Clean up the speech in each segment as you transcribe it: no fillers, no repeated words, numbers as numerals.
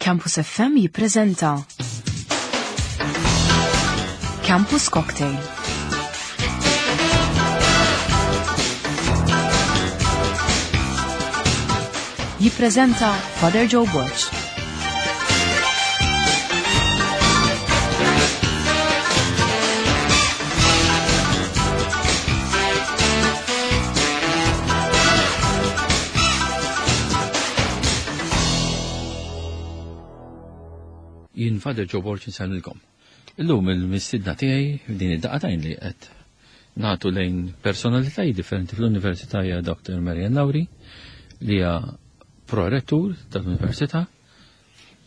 Campus FM jippreżenta Campus Cocktail. Jippreżenta Father Joe Borg. Jien Father Joe Borg insellmilkom. Illum il-mistidna tiegħi din id-daqatajn li qed nagħtu lejn personalitajiet differenti fl-Università hija Dr. Marian Lauri li hija prorettur tal-Università,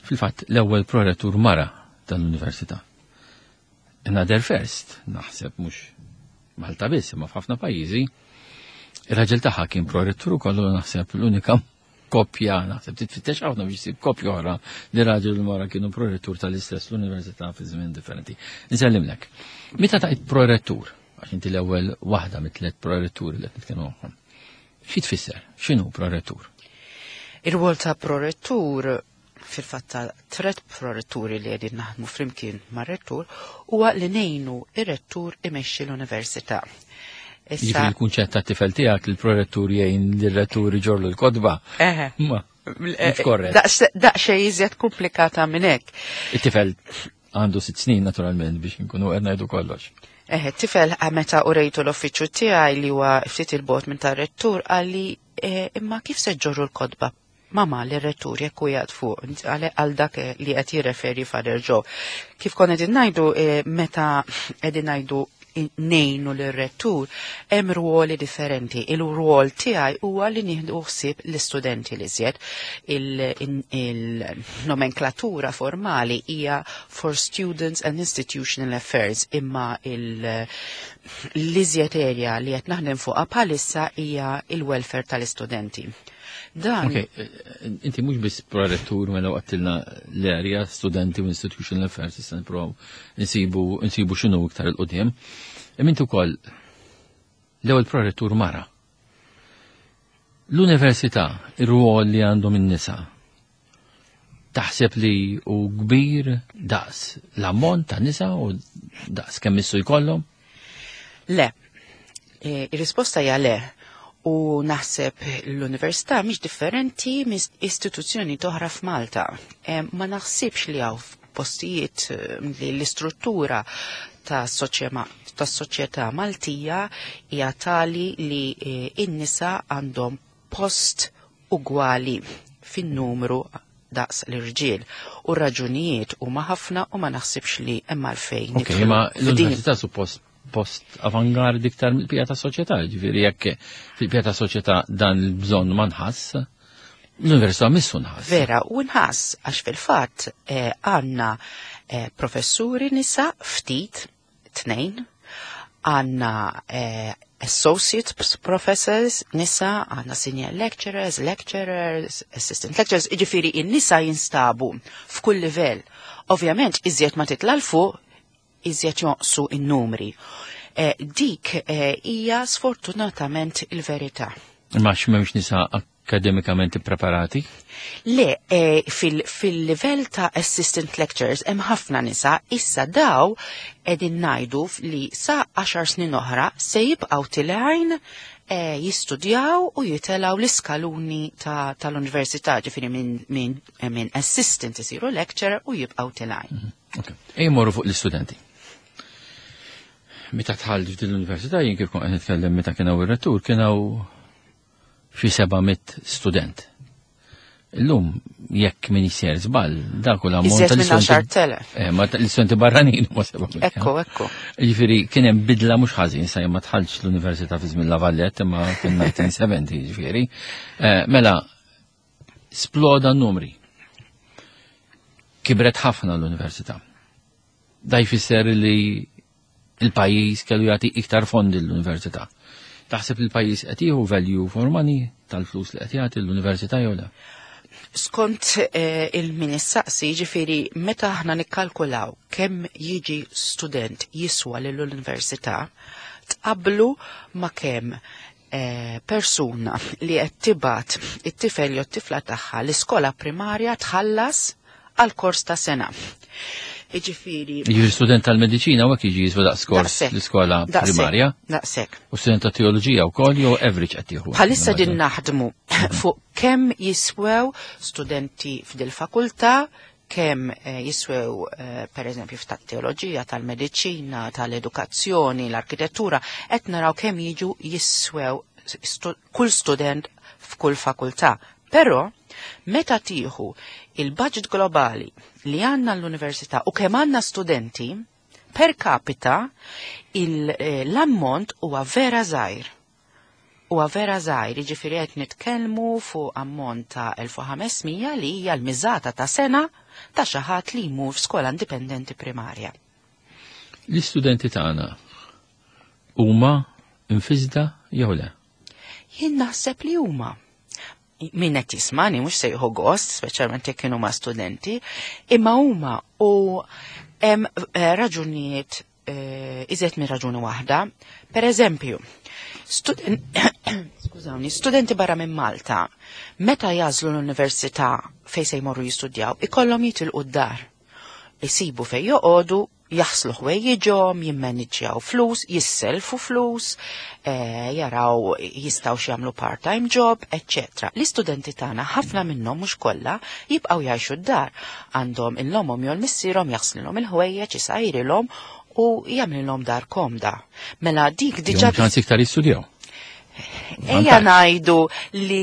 fil-fatt l-ewwel prorettur mara tal-Università. Another first, naħseb mhux Malta biss, imma f'ħafna pajjiżi, ir-raġel tagħha kien prorettur ukoll u naħseb l-unika koppja, naħseb titfittex ħafna biex tsib koppja oħra li raġel u mara kienu prorettur tal-istess l-università fi żmien differenti. Nsellimlek. Meta tajt prorettur, għax inti l-ewwel waħda mit-tliet proretturi li qed nitkellmu magħhom. Xi tfisser? X'inhu prorettur? Ir-rwol ta' prorettur fil-fatt ta' tret proretturi li qegħdin naħdmu flimkien mar-rettur huwa li ngħinu ir-rettur imexxi l-università. Issa il-kunċett ta' tifel tiegħek li l-prorettur jgħin lir-rettur iġorlu l-kotba. Eħe. Ma, mhux korrett. Daqsxejn iżjed komplikata minn hekk. It-tifel għandu sitt snin naturalment biex nkunu qed ngħidu kollox. Eħe, tifel meta urejtu l-uffiċċju tiegħi li huwa ftit il-bot minn tar-rettur qalli imma kif se ġorru l-kotba? Mama li rettur jekk hu jgħad fuq għal dak li qed jirreferi Father Joe. Kif konna qegħdin ngħidu meta qegħdin ngħidu ngħinu lir-rettur, hemm ruoli differenti. Il-rwol tiegħi huwa li nieħdu ħsieb l-istudenti li żjed. Il-nomenklatura formali hija for students and institutional affairs, imma l-iżjed area li qed naħdem fuqha bħalissa hija il-welfare tal-istudenti. Dan. Ok, inti mhux biss prorettur mela waqtilna l-area studenti u institutional affairs issa nippruvaw nsibu x'inhu iktar il qudiem. Imma inti wkoll l-ewwel prorettur mara. L-università, ir-rwol li għandhom in-nisa, taħseb li hu kbir daqs l-ammont ta' nisa u daqs kemm issu jkollhom? Le. Ir-risposta hija le. U naħseb l-università mhix differenti minn istituzzjoni oħra f'Malta. Ma naħsibx li hawn postijiet li l-istruttura tas-soċjetà Maltija hija tali li n-nisa għandhom post ugwali fin-numru daqs l-irġiel. U raġunijiet huma ħafna u ma naħsibx li hemm għalfejn. Ok, ma l-università suppost post avangard iktar mill-pija ta' soċjetà, ġifieri jekk fil-pija ta' soċjetà dan il-bżonn ma nħass, l-università missu nħass. Vera, u nħass għax fil-fatt għandna professuri nisa ftit, 2, għandna associate professors nisa, għandna senior lecturers, lecturers, assistant lecturers, ġifieri in-nisa jinstabu f'kull livell. Ovvjament, iżjed ma titla' 'l fuq, iżjed jonqsu in-numri. Dik hija sfortunatament il-verità. Imma x'm'hemmx nisa akademikament ippreparati? Le, fil-livell ta' assistant lecturers hemm ħafna nisa, issa daw qegħdin ngħidu li sa 10 snin oħra se jibqgħu tilgħin jistudjaw u jitelgħu l-iskaluni tal-università, ġifieri minn assistant isiru lecturer u jibqgħu tilgħin. Ok. Ejja morru fuq l-istudenti. Meta tħall f'din l-università, jien kif kont qed nitkellem meta kien hawn ir-rettur, kien hawn xi 700 student. Illum jekk min jisir żball, dak hu l-ammont Iżjed minn tal-istudenti 10,000. Ma l-istudenti barranin huma 700. Ekku, ekku. Jiġifieri kien hemm bidla mhux ħażin, sa jien ma tħallx l-università fi żmien La Vallette, imma kien 1970, jiġifieri. Mela, sploda n-numri. Kibret ħafna l-università. Da jfisser li il-pajjiż kellu jagħti iktar fondi l-università. Taħseb li l-pajjiż qed jieħu value for money tal-flus li qed jagħti l-università jew le? Skont il-ministaqsi, ġifieri meta aħna nikkalkulaw kemm jiġi student jiswa lill-università, tqablu ma' kemm persuna li qed tibgħat it-tifel jew t-tifla tagħha l-iskola primarja tħallas għal kors ta' sena. Jiġifieri. Jiġifieri student tal-mediċina u hekk jiġi jiswa daqs kors l-iskola primarja. Daqshekk. U student ta' teoloġija wkoll jew average qed jieħu. Bħalissa din naħdmu fuq kemm jiswew studenti f'dil fakultà kemm eh, jiswew eh, per eżempju tat-teoloġija, tal-mediċina, tal-edukazzjoni, l-arkitettura, qed naraw kemm jiġu jiswew kull student f'kull fakultà. Però, meta tieħu il-budget globali li għandna l-università u kemm għandna studenti, per capita eh, l-ammont huwa vera żgħir. Huwa vera żgħir, jiġifieri qed nitkellmu fuq ammont ta' 1500 li hija l-miżata ta' sena ta' xi ħadd li jmur f'skola indipendenti primarja. L-istudenti tagħna huma infisda jew le? Jien naħseb li huma min qed jismani mhux se jieħu gost, speċjalment jekk kienu ma' studenti, imma huma u hemm eh, raġunijiet eh, iżjed minn raġuni waħda. Per eżempju, skużawni, studenti barra minn Malta, meta jażlu l-università fejn se jmorru jistudjaw, ikollhom jitilqu d-dar. Isibu fejn joqogħdu jaħslu ħwejjiġhom, jimmaniġġjaw flus, jisselfu flus, eh, jaraw jistgħu jagħmlu part-time job, etc. L-istudenti tagħna ħafna minnhom mhux kollha jibqgħu jgħixu d-dar. Għandhom il-lomhom jew l-missierhom jaħslilhom il-ħwejjeġ, isajrilhom u jagħmlilhom dar komda. Mela dik diġà ċans iktar jistudjaw. Ejja ngħidu li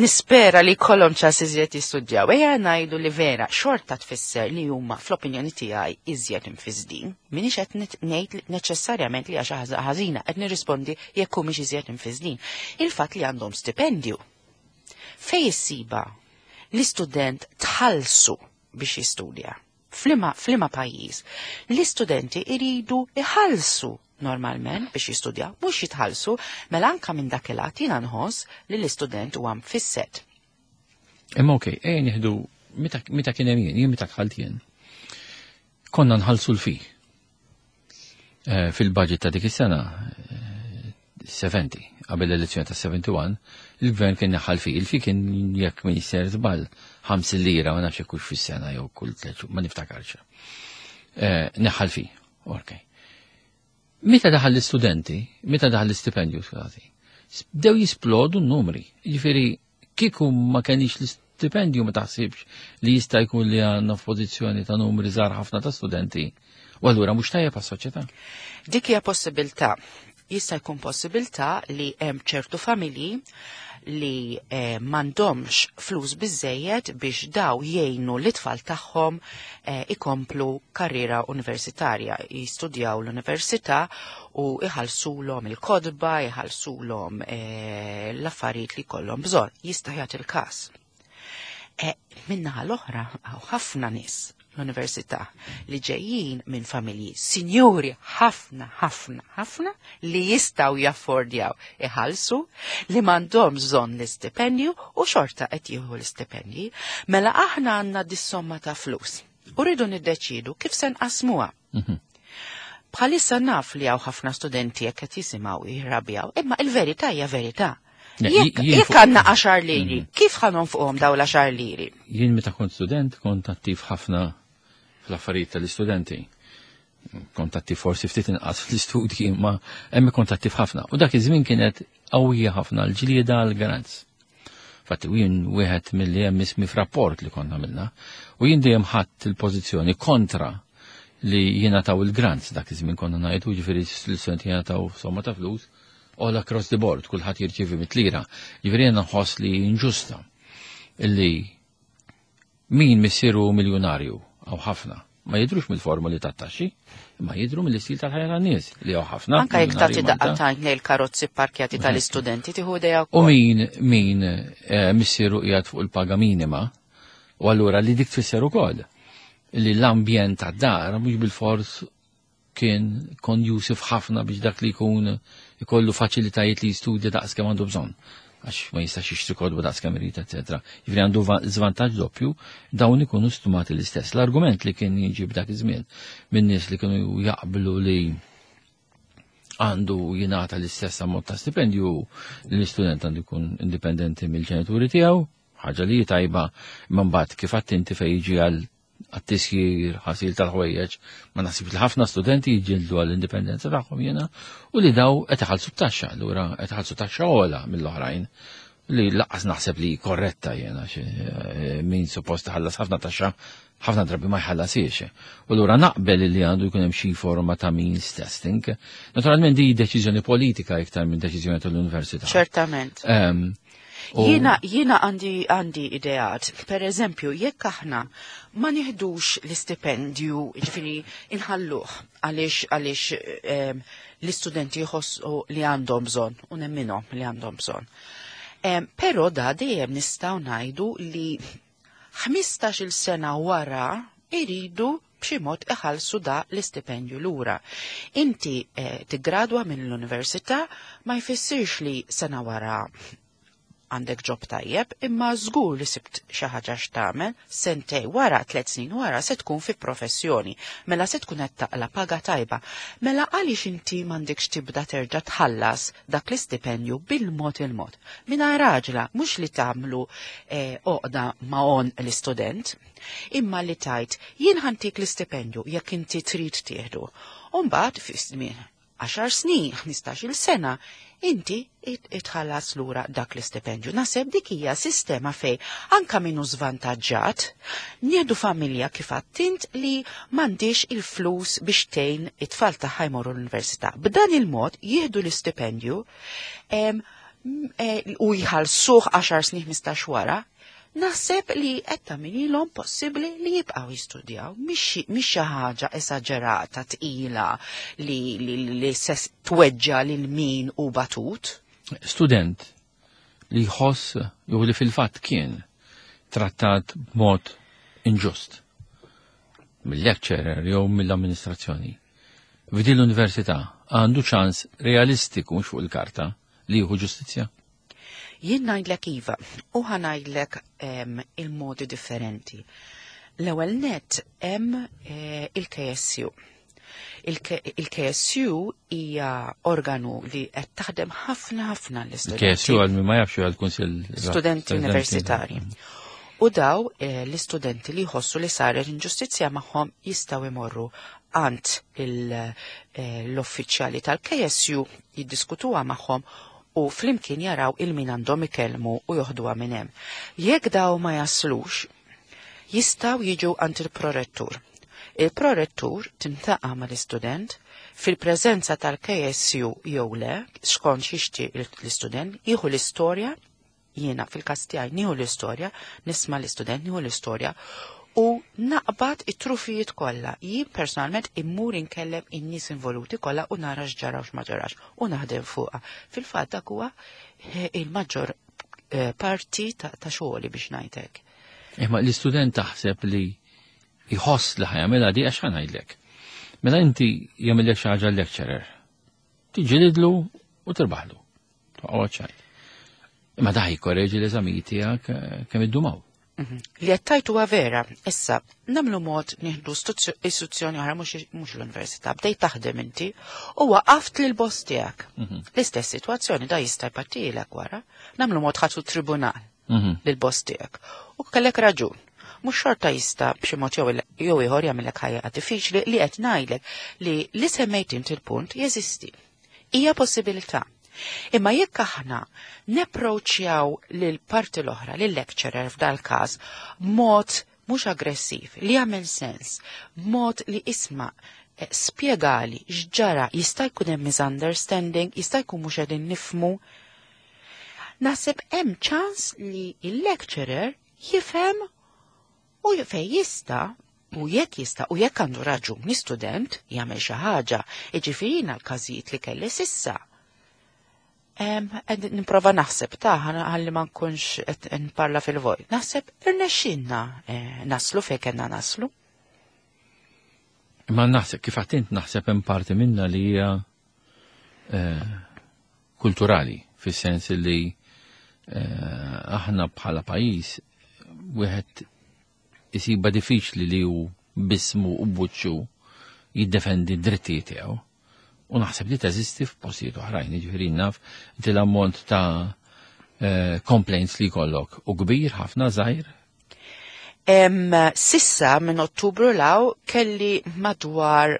nispera li kollhom ċans iżjed jistudjaw. Ejja ngħidu li vera xorta tfisser li huma fl-opinjoni tiegħi iżjed imfisdin. Minix qed ngħid neċessarjament li għax ħażina qed nirrispondi jekk humiex iżjed imfisdin. Il-fatt li għandhom stipendju. Fej issiba l-istudent tħallsu biex jistudja. Flima, flima pajjiż. L-istudenti iridu iħallsu normalment biex jistudja, mhux jitħallsu, mela anka minn dak il-att jiena nħoss li l-istudent huwa mfisset. Imma okej, ejja nieħdu meta kien hemm jien, jien meta dħalt jien. Konna nħallsu l-fi. Eh, fil-budget ta' dik is-sena 70, eh, qabel l-elezzjoni ta' 71, il-gvern kien neħħal fi. Il-fi kien jekk min jisser żball 5 lira, ma nafx hekk fis-sena jew kull tliet ma niftakarx. Eh, neħħal fi, okej. Meta daħal l-istudenti, meta daħal l-istipendju, skużati, bdew jisplodu n-numri. Jiġifieri kieku ma kenix l-istipendju ma taħsibx li jista' jkun li għandna f'pożizzjoni ta' numri żgħar ħafna ta' studenti. U allura mhux tajjeb għas-soċjetà. Dik hija possibilità. Jista' jkun possibilità li hemm ċertu familji li eh, m'għandhomx flus biżejjed biex daw jgħinu l-itfal tagħhom eh, ikomplu karriera universitarja, jistudjaw l-università u iħallsulhom il-kodba, iħallsulhom eh, l-affarijiet li jkollhom bżonn. Jista' jagħti il-każ. Eh, Minnaħa l-oħra hawn ħafna nies l-università li ġejjin minn familji sinjuri ħafna, ħafna, ħafna li jistaw jaffordjaw iħallsu li m'għandhom bżonn l-istipendju u xorta qed jieħu l-istipendji, mela aħna għandna dis-somma ta' flus. U rridu niddeċidu kif se nqasmuha. Bħalissa naf li hawn ħafna studenti jekk qed jisimgħu jirrabjaw, imma il-verità hija verità. Jekk għandna 10 liri, kif ħa nonfquhom daw l-10 liri? Jien meta kont student kont attiv ħafna fl-affarijiet tal-istudenti. Kont attiv forsi ftit inqas fl-istudji, ma hemm kont attiv ħafna. U dak iż-żmien kienet qawwija ħafna l-ġlieda għal grants. Fatti jien wieħed milli hemm ismi f'rapport li konna għamilna. U jien dejjem ħadd il-pożizzjoni kontra li jingħataw il-grants dak iż-żmien konna ngħidu, ġifieri l-istudenti jingħataw somma ta' flus all across the board, kulħadd jirċievi mit-lira. Ġifieri jiena nħoss li inġusta illi min missieru miljonarju għaw ħafna ma jidrux mill-formuli tat-taxxi, ma jidru mill-istil tal-ħajja tan-nies li hawn ħafna. Anka jekk tagħti miljonarji daqqa ta' l-karozzi parkjati tal-istudenti tieħu idea U min min eh, missieru qiegħed fuq il-paga minima, u allura li dik tfisser ukoll li l-ambjent tad-dar mhux bil-fors kien conducive ħafna biex dak li jkun ikollu faċilitajiet li jistudja daqs kemm għandu bżonn għax ma jistax jixtri kodba daqs kemm irid, eċetera. Jiġifieri għandu żvantaġġ doppju, dawn ikunu stumati l-istess. L-argument li kien jiġi b'dak iż-żmien minn nies li kienu jaqblu li għandu jingħata l-istess ammont ta' stipendju li l-istudent għandu jkun indipendenti mill-ġenituri tiegħu, ħaġa li tajba, imma mbagħad kif għadt inti fejn jiġi għal għat-tisjir, ħasil tal-ħwejjeġ, ma naħsibx li ħafna studenti jiġġieldu għall-indipendenza tagħhom jiena u li daw qed iħallsu taxxa, allura qed iħallsu taxxa ogħla mill-oħrajn li lanqas naħseb li korretta jiena min suppost ħallas ħafna taxxa ħafna drabi ma jħallasiex. U allura naqbel li għandu jkun hemm xi forma ta' means testing. Naturalment di deċiżjoni politika iktar minn deċiżjoni tal-università. Ċertament. Jiena għandi ideat. Per eżempju, jekk aħna ma nieħdux l-istipendju, ġifieri inħalluh għaliex l-istudenti jħossu li għandhom bżonn u nemminhom li għandhom bżonn. Però da dejjem nistgħu ngħidu li 15-il sena wara iridu b'xi mod iħallsu da l-istipendju lura. Inti tiggradwa minn l-università ma jfissirx li sena wara għandek job tajjeb, imma żgur li sibt xi ħaġa x'tagħmel, sentej wara, 3 snin wara se tkun fi professjoni, mela se tkun qed taqla paga tajba. Mela għaliex inti m'għandekx tibda terġa' tħallas dak l-istipendju bil-mod il-mod. Mingħajr raġla, mhux li tagħmlu oqda ma' on l-istudent, imma li tajt jien ħantik l-istipendju jekk inti trid tieħdu. U mbagħad fi żmien 10 snin, 15-il sena, inti itħallas lura dak l-istipendju. Naħseb dik hija sistema fej anka minnu żvantaġġat, nieħdu familja kif għattint li m'għandix il-flus biex tgħin it-tfal tagħha jmorru l-università. B'dan il-mod jieħdu l-istipendju u jħallsuh 10 snin 15 wara. Naħseb li qed tagħmililhom possibbli li jibqgħu jistudjaw, mhix xi ħaġa esaġerata tqila li se tweġġa lil min u batut. Student li jħoss jew li fil-fatt kien trattat b'mod inġust mill-lecturer jew mill-amministrazzjoni. F'din l-università għandu ċans realistiku mhux fuq il-karta li jieħu ġustizzja? Jien ngħidlek iva, u ħa ngħidlek il-modi differenti. L-ewwel net hemm il-KSU. Il-KSU hija organu li qed taħdem ħafna ħafna l-istudenti. Il-KSU għal min ma jafx huwa l-Kunsill Studenti Universitari. U daw l-istudenti li jħossu li saret inġustizzja magħhom jistgħu jmorru għand l-uffiċjali tal-KSU jiddiskutuha magħhom u flimkien jaraw il-min għandhom ikellmu u joħduha minn hemm. Jekk daw ma jaslux, jistgħu jiġu għand il-prorettur. Il-prorettur tintaqa' mal-istudent fil-preżenza tal-KSU jew le, skont xixti l-istudent, jieħu l-istorja, jiena fil-każ tiegħi nieħu l-istorja, nisma' l-istudent, nieħu l-istorja u naqbad it-trufijiet kollha. Jien personalment immur inkellem in-nies involuti kollha u nara x'ġara u x'ma ġarax u naħdem fuqha. Fil-fatt dak huwa il-maġġor parti ta' xogħli biex ngħidlek. Imma l-istudent taħseb li jħoss li ħajamilha di għax ħa ngħidlek. Mela inti jagħmillek xi ħaġa lecturer, tiġġilidlu u tirbaħlu. Toqgħod ċajt. Imma daħi jkorreġi l-eżamijiet tiegħek kemm iddumaw. Li qed tgħid huwa vera, issa nagħmlu mod nieħdu istituzzjoni oħra mhux l-università, bdejt taħdem inti u waqaft lil boss tiegħek. L-istess sitwazzjoni da jista' jpattilek wara, nagħmlu mod ħadtu tribunal lil boss tiegħek. U kellek raġun. Mhux xorta jista' b'xi mod jew ieħor jagħmilek ħajja diffiċli li qed ngħidlek li semmejt inti l-punt jeżisti. Hija possibilità. Imma jekk aħna neproċjaw lil parti l-oħra, lil lecturer f'dal każ, mod mhux aggressiv, li jagħmel sens, mod li isma' spjegali x'ġara, jista' jkun hemm misunderstanding, jista' jkun mhux qegħdin nifmu. Naħseb hemm ċans li il-lecturer jifhem u fej jista' u jekk jista' u jekk għandu raġuni student jagħmel xi ħaġa, jiġifieri l-każijiet li kelli sissa. Qed nipprova naħseb ta' ħalli ma nkunx qed nparla fil-vojt. Naħseb irnexxinna naslu fejn kellna naslu. Imma naħseb kif għattint naħseb hemm parti minna li hija kulturali, fis-sens li aħna bħala pajjiż wieħed isiba diffiċli li hu bismu u buċċu jiddefendi d-drittijiet tiegħu. U naħseb li teżisti f'postijiet oħrajn, jiġifieri naf inti l-ammont ta' complaints li jkollok u kbir ħafna żgħir. Sissa minn Ottubru law kelli madwar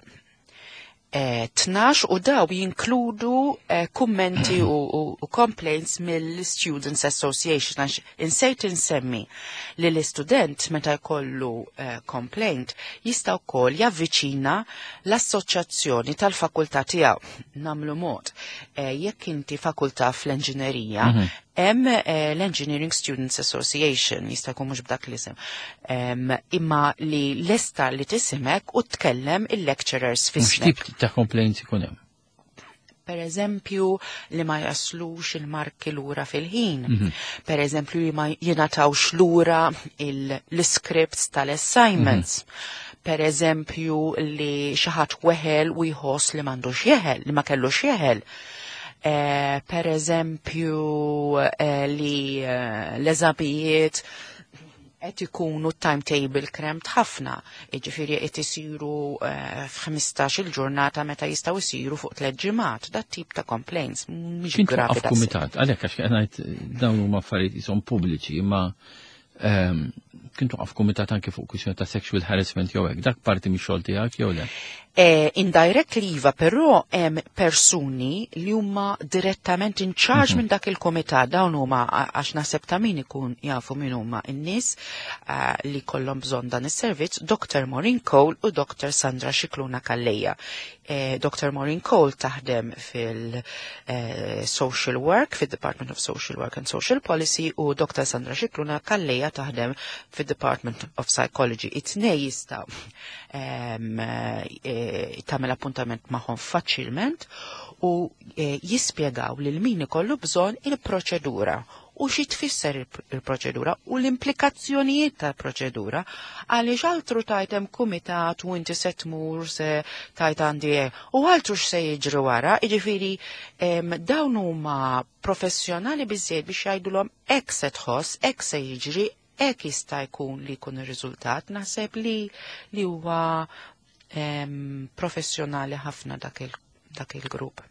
12 u daw jinkludu kummenti u complaints mill-Students Association għax insejt insemmi li l-istudent meta jkollu complaint jista' wkoll javviċina l-assoċjazzjoni tal-fakultà tiegħu. Namlu mod, jekk inti fakultà fl-enġinerija, hemm l-Engineering Students Association, jista' jkun mhux b'dak l-isem. Imma li lesta li tisimek u tkellem il-lecturers fismek. X'tip ta' complaints ikun hemm? Per eżempju, li ma jaslux il-marki lura fil-ħin. Per eżempju, li ma jingħatawx lura l-scripts tal-assignments. Per eżempju, li xi ħadd weħel u jħoss li m'għandux jeħel, li ma kellux jeħel. Per eżempju, li l-eżamijiet qed ikunu timetable cramped ħafna, jiġifieri qed isiru f'15 il-ġurnata meta jistgħu jsiru fuq 3 ġimgħat. Dat tip ta' complaints mhix Kien gravi twaqqaf daqshekk. kumitat, għalhekk għax qed ngħid dawn huma affarijiet qishom pubbliċi, imma kien twaqqaf kumitat anke fuq kwistjoni ta' sexual harassment jew hekk, dak parti mix-xogħol tiegħek jew le? Indirectly iva, però hemm persuni li huma direttament in charge minn dak il-komitat, dawn huma għax naħseb ta' min ikun jafu min huma n-nies li kollhom bżonn dan is-servizz, Dr. Maureen Cole u Dr. Sandra Scicluna Calleja. Dr. Maureen Cole taħdem fil- Social Work, fil-Department of Social Work and Social Policy, u Dr. Sandra Scicluna Calleja taħdem fil-Department of Psychology. It-tnej jistgħu tagħmel appuntament magħhom faċilment u jispjegaw lil min ikollu bżonn il-proċedura u xi tfisser il-proċedura u l-implikazzjonijiet tal-proċedura, għaliex altru tajt hemm kumitat u inti se tmur se tajt għandi u altru x'se jiġri wara, jiġifieri dawn huma professjonali biżejjed biex jgħidulhom hekk se tħoss, hekk se jiġri, hekk jista' jkun li jkun ir-riżultat. Naħseb li huwa professjonali ħafna dak il-grupp.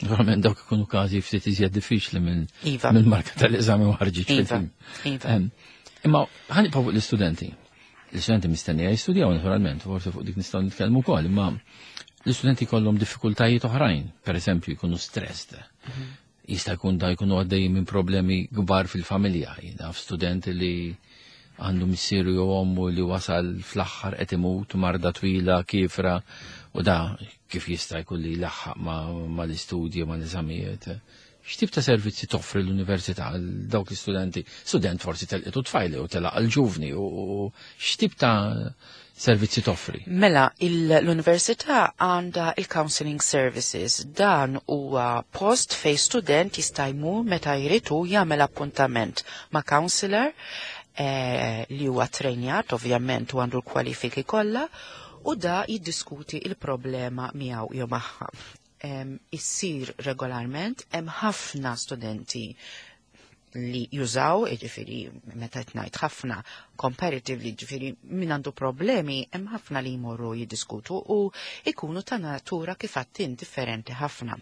Naturalment dawk ikunu każi ftit iżjed diffiċli minn marka tal-eżami u ħarġit fil-film. Imma ħa nibqgħu fuq l-istudenti. L-istudenti mistennija jistudjaw naturalment, forsi fuq dik nistgħu nitkellmu wkoll, imma l-istudenti kollhom diffikultajiet oħrajn, per eżempju jkunu stressed. Jista' jkun da jkunu għaddejjin minn problemi kbar fil-familja, jiena student li għandu missieru jew ommu li wasal fl-aħħar qed imut marda twila kifra u da kif jista' jkun li jlaħħaq ma l-istudji ma l-eżamijiet. X'tip ta' servizzi toffri l-università għal dawk l-istudenti? Student forsi telqitu tfajli u telaq għal-ġuvni u x'tip ta' servizzi toffri? Mela, l-università għandha il-counseling services. Dan huwa post fej student jista' jmur meta jridu jagħmel appuntament ma' counselor li huwa trejnjat, ovvjament, u għandu l-kwalifiki kollha, u da jiddiskuti il-problema miegħu jew magħha. Issir regolarment, hemm ħafna studenti li jużaw, jiġifieri meta qed ngħid ħafna comparatively, jiġifieri min għandu problemi, hemm ħafna li jmorru jiddiskutu u ikunu ta' natura kif għattin differenti ħafna.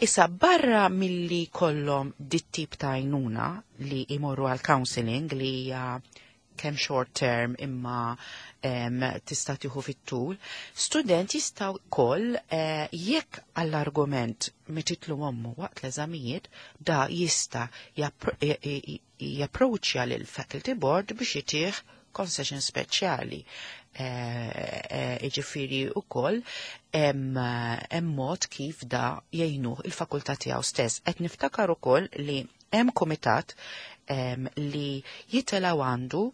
Issa barra milli kollhom dit-tip ta' għajnuna li jmorru għal counseling li hija kemm short term imma tista' tieħu fit-tul, student jistgħu wkoll jekk għall-argument mititlu ommu waqt l-eżamijiet, da jista' japproċċja lil faculty board biex jitih concession speċjali. Jiġifieri wkoll hemm mod kif da jgħinuh il-fakultà tiegħu stess. Qed niftakar ukoll li hemm kumitat li jitelaw għandu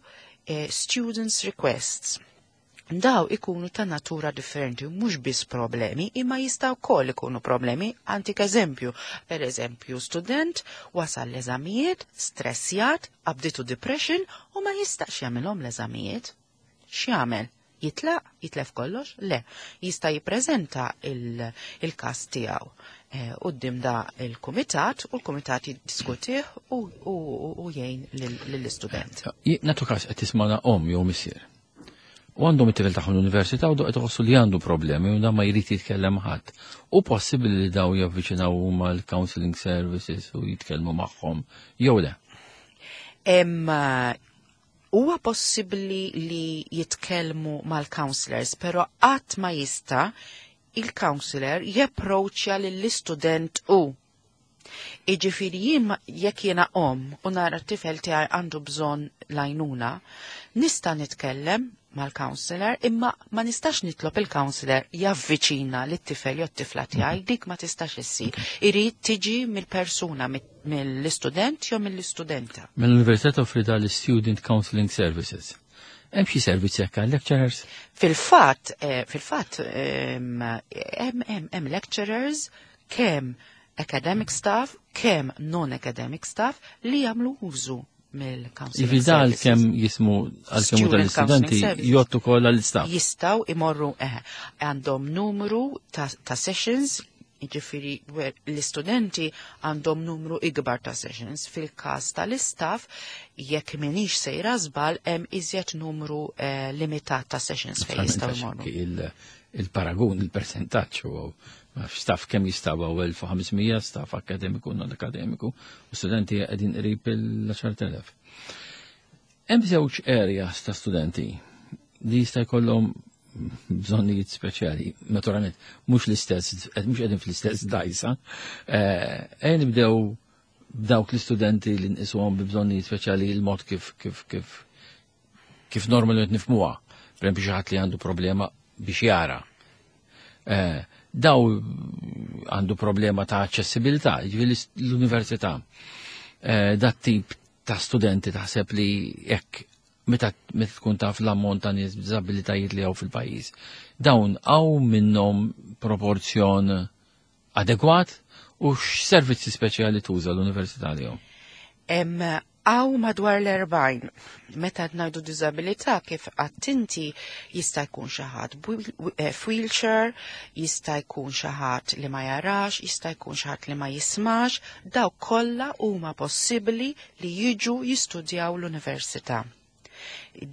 students requests. Daw ikunu ta' natura differenti, mhux biss problemi, imma jistgħu wkoll ikunu problemi. Antik eżempju, per eżempju, student wasal l-eżamijiet, stressjat, qabditu depression u ma jistax jagħmilhom l-eżamijiet. X'jagħmel? Jitlaq, jitlef kollox? Le, jista' jippreżenta il-każ tiegħu quddiem da il-kumitat u l-kumitat jiddiskutih u jgħin lill-istudent. Natu każ qed tismana omm jew missier. U għandhom it-tifel tagħhom l-università u qed iħossu li għandu problemi u dan ma jrid jitkellem ħadd. U possibbli li daw javviċinaw huma l-counseling services u jitkellmu magħhom jew le? Huwa possibbli li jitkellmu mal-counselors, però qatt ma jista' il-counselor japproċċja lill-istudent u. Iġifieri jien jekk jiena om u nara t-tifel tiegħi għandu bżonn lajnuna, nista' nitkellem mal-counselor imma ma nistax nitlob il-counselor javviċina lit-tifel jew t-tifla tiegħi dik ma tistax issir. Irid tiġi mill-persuna mill-istudent jew mill-istudenta. Mill-Università toffri dal-Student Counseling Services. Hemm xi servizzi hekk għal lecturers? Fil-fatt, fil-fatt hemm lecturers kemm academic staff, kemm non-academic staff li jagħmlu użu mill-counseling Jiġifieri da services. għalkemm jismu għalkemm Student tal-istudenti counseling services. jgħottu ukoll għall-istaff. Jistaw imorru għandhom numru ta' sessions, jiġifieri l-istudenti għandhom numru ikbar ta' sessions. Fil-każ tal-istaff, jekk minix sejra żball, hemm iżjed numru limitat ta' sessions fejn jistgħu jmorru. Il-paragun, il-percentaġġ huwa staff kemm jistgħu 1500 staff akademiku, non akademiku, u studenti qegħdin qrib il-10,000. Hemm żewġ areas ta' studenti li jista' jkollhom bżonnijiet speċjali, naturalment mhux l-istess, mhux qegħdin fl-istess dajsa. Ejja nibdew b'dawk l-istudenti li nqisuhom bi bżonnijiet speċjali il-mod kif normalment nifhmuha. Per esempio xi ħadd li għandu problema biex jara. Daw għandu problema ta' aċċessibilità, jiġifieri l-università. Dat tip ta' studenti taħseb li jekk meta tkun taf l-ammont ta' nies b'diżabilitajiet li hawn fil-pajjiż, dawn hawn minnhom proporzjon adegwat u x'servizzi speċjali tuża l-università li hawn? Għaw madwar l-40, meta ngħidu diżabilità kif għattinti jista' jkun xi ħadd f'wheelchair, jista' jkun xi ħadd li ma jarax, jista' jkun xi ħadd li ma jismax, daw kollha huma possibbli li jiġu jistudjaw l-università.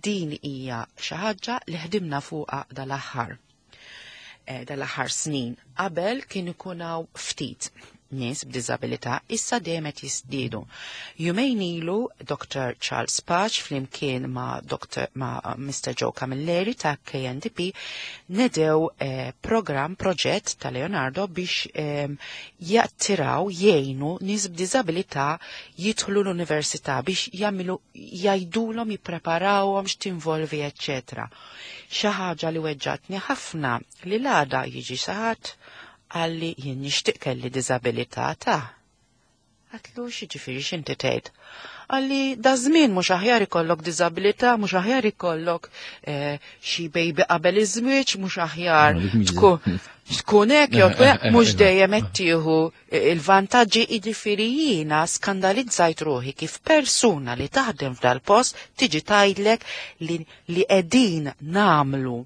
Din hija xi ħaġa li ħdimna fuqha dal-aħħar snin. Qabel kien ikun hawn ftit nies b'diżabilità, issa dejjem qed jiżdiedu. Jumejn ilu Dr. Charles Pace flimkien ma' Doctor, ma' Mr. Joe Camilleri ta' KNDP nedew program, proġett ta' Leonardo biex jattiraw, jgħinu nies b'diżabilità jidħlu l-università biex jagħmlu, jgħidulhom, jippreparawhom x'tinvolvi, eċċetera. Xi ħaġa li weġġatni ħafna li l-għada jiġi xi ħadd għalli jien nixtieq kelli diżabilità ta'. Għatlu x'jiġifieri x'inti tgħid? Għalli da żmien mhux aħjar ikollok diżabilità, mhux aħjar ikollok xi baby qabel iż-żwieġ, mhux aħjar No, dik mhix tkun hekk jew tkun hekk, mhux dejjem qed tieħu il-vantaġġi. Jiġifieri jiena skandalizzajt ruħi kif persuna li taħdem f'dal-post tiġi tgħidlek li qegħdin nagħmlu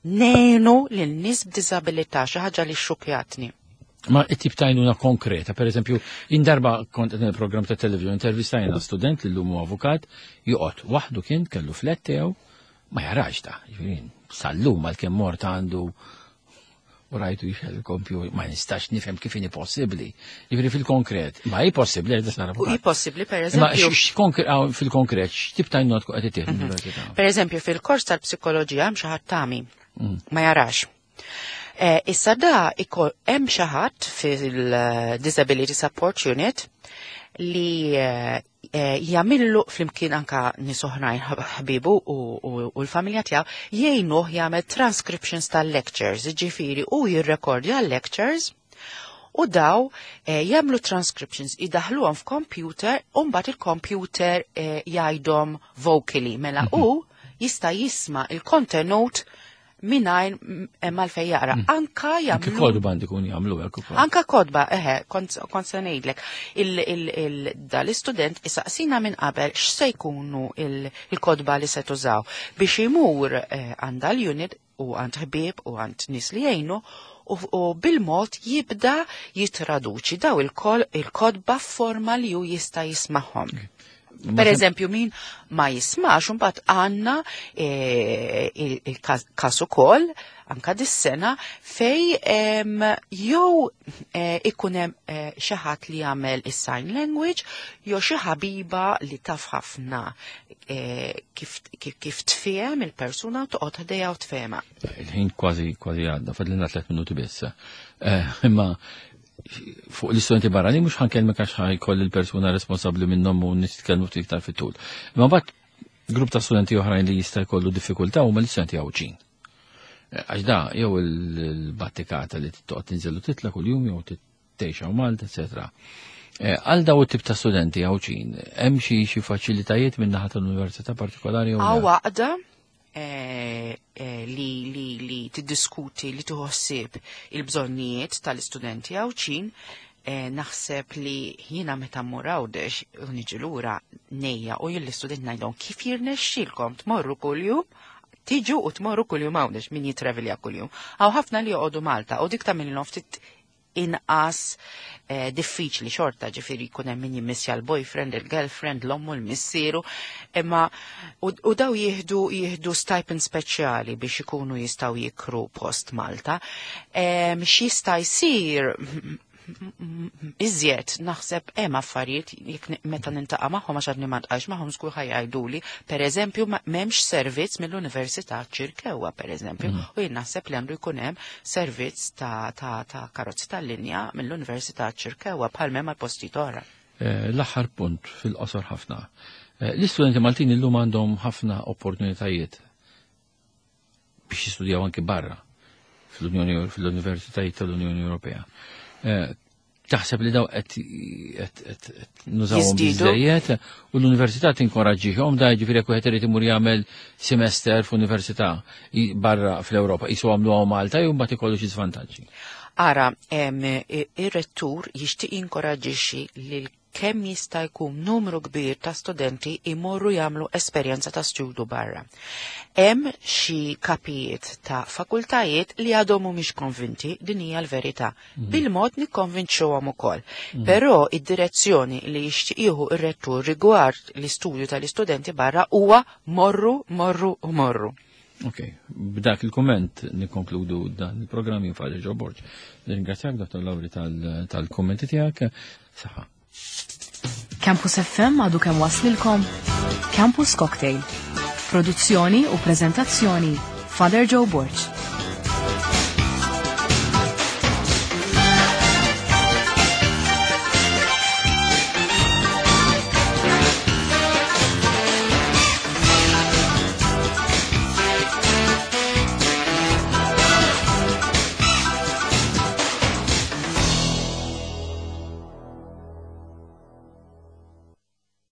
nejnu lil nies b'diżabilità, xi ħaġa li xxukjatni. Ma it-tip ta' għajnuna konkreta, per eżempju, indarba kont qed il-programm ta' television intervistajna student li llum huwa avukat, joqgħod waħdu kien kellu flat tiegħu, ma jarax ta' jiġifieri sal-lum għalkemm mort għandu u rajtu jixgħel il-kompjuter, ma nistax nifhem kif inhi possibbli. Jiġifieri fil-konkret, ma hi possibbli għax sar avukat. U hi possibbli, per Imma eżempju. fil-konkret, x'tip ta' għajnuna tkun qed ittieħed l-università? Per eżempju, fil-kors tal-psikoloġija hemm xi ħadd tami, ma jarax. Issa da hemm xi ħadd fil-Disability Support Unit li jagħmillu flimkien anka nies oħrajn ħbibu u l-familja tiegħu jgħinuh jagħmel transcriptions tal-lectures, jiġifieri u jirrekordja l-lectures u daw jagħmlu transcriptions, idaħluhom f'computer u mbagħad il-computer jgħidhom vocally, mela u jista' jisma' il-kontenut mingħajr mal-fej jaqra. Anka Anke jagħmlu kodba għandi kun jagħmlu hekk ukoll. Anka kodba, eħe, kont se ngħidlek. Dal-istudent isaqsina minn qabel x'se jkunu il-kodba li se tużaw biex imur għand l-unit u għand ħbieb u għand nies li jgħinu u bil-mod jibda jitraduċi daw il-kodba f'forma li hu jista' jismagħhom. Per eżempju, min ma jismax, mbagħad għandna eh, il-każ ukoll anka dis-sena fej jew eh, ikun hemm eh, xi ħadd li jagħmel is-sign language jew xi ħabiba li taf ħafna kif, kif, tfiem il-persuna toqgħod ħdejha u tfehma. Il-ħin kważi kważi għadda, fadlina tliet minuti biss. Imma fuq l-istudenti barrani mhux ħankellmek għax ħajkoll il-persuna responsabbli minnhom u nitkellmu ftit iktar fit-tul. Imma mbagħad grupp ta' studenti oħrajn li jista' jkollu diffikultà huma l-istudenti Għawdxin. Eh, għax da jew il-battikata li toqgħod tinżel u titla' kuljum jew tgħix hawn Malta, eċetera. Eh, għal daw it-tip ta' studenti Għawdxin, hemm xi xi faċilitajiet minn naħa tal-università partikolari jew għaqda Eh, eh, li, li, li tiddiskuti, li tuħossib il-bżonnijiet tal-istudenti għawċin, eh, naħseb li jiena meta mmur Għawdex u niġi lura nejja u jien l-istudent ngħidhom kif jirnexxilkom tmorru kuljum tiġu u tmorru kuljum Għawdex min jitravelja kuljum. Għaw ħafna li joqogħdu Malta u dik tagħmilhom ftit inqas eh, diffiċli xorta ġifiri jkun hemm min jimmissja l-boyfriend, il-girlfriend, l-ommu, l-missieru, imma u, u daw jieħdu jieħdu stipend speċjali biex ikunu jistgħu jikru post Malta. X'jista' jsir iżjed naħseb hemm affarijiet jekk meta nintaqa' magħhom għax għadni ma ntqax magħhom żgur ħajajduli, pereżempju m'hemmx servizz mill-Università Ċirkewwa pereżempju, mm. u jien naħseb li għandu jkun hemm servizz ta', ta, ta karozzi tal-linja mill-Università Ċirkewwa bħal m'hemm għal postijiet oħra. Eh, l-aħħar punt fil-qosor ħafna. Eh, l-istudenti Maltin illum għandhom ħafna opportunitajiet biex jistudjaw anki barra fl-Unjoni fl-Universitajiet tal-Unjoni Ewropea. Eh, taħseb li daw qed nużawhom biżejjed u l-università tinkoraġġihom da jiġifieri jekk wieħed irid imur jagħmel semester f'università barra fl-Ewropa qisu għamluha Malta jew mbagħad ikollu xi żvantaġġi. Ara, ir-rettur jixtieq jinkoraġġixxi lil kemm jista' jkun numru kbir ta' studenti imorru jagħmlu esperjenza ta' studju barra. Hemm xi kapijiet ta' fakultajiet li għadhom mhumiex konvinti din hija l-verità. Mm. Bil-mod nikkonvinċuhom ukoll. Mm. Però id-direzzjoni li jixtieq jieħu r-rettur rigward l-istudju tal-istudenti barra huwa morru, morru u morru. Ok, b'dak il-komment nikkonkludu dan il-programm jien Father Joe Borg. Nirringrazzjak Dr. Lauri tal-kommenti tiegħek. Saħħa. Campus FM għadu kemm waslilkom Campus Cocktail. Produzzjoni u prezentazzjoni Father Joe Borg.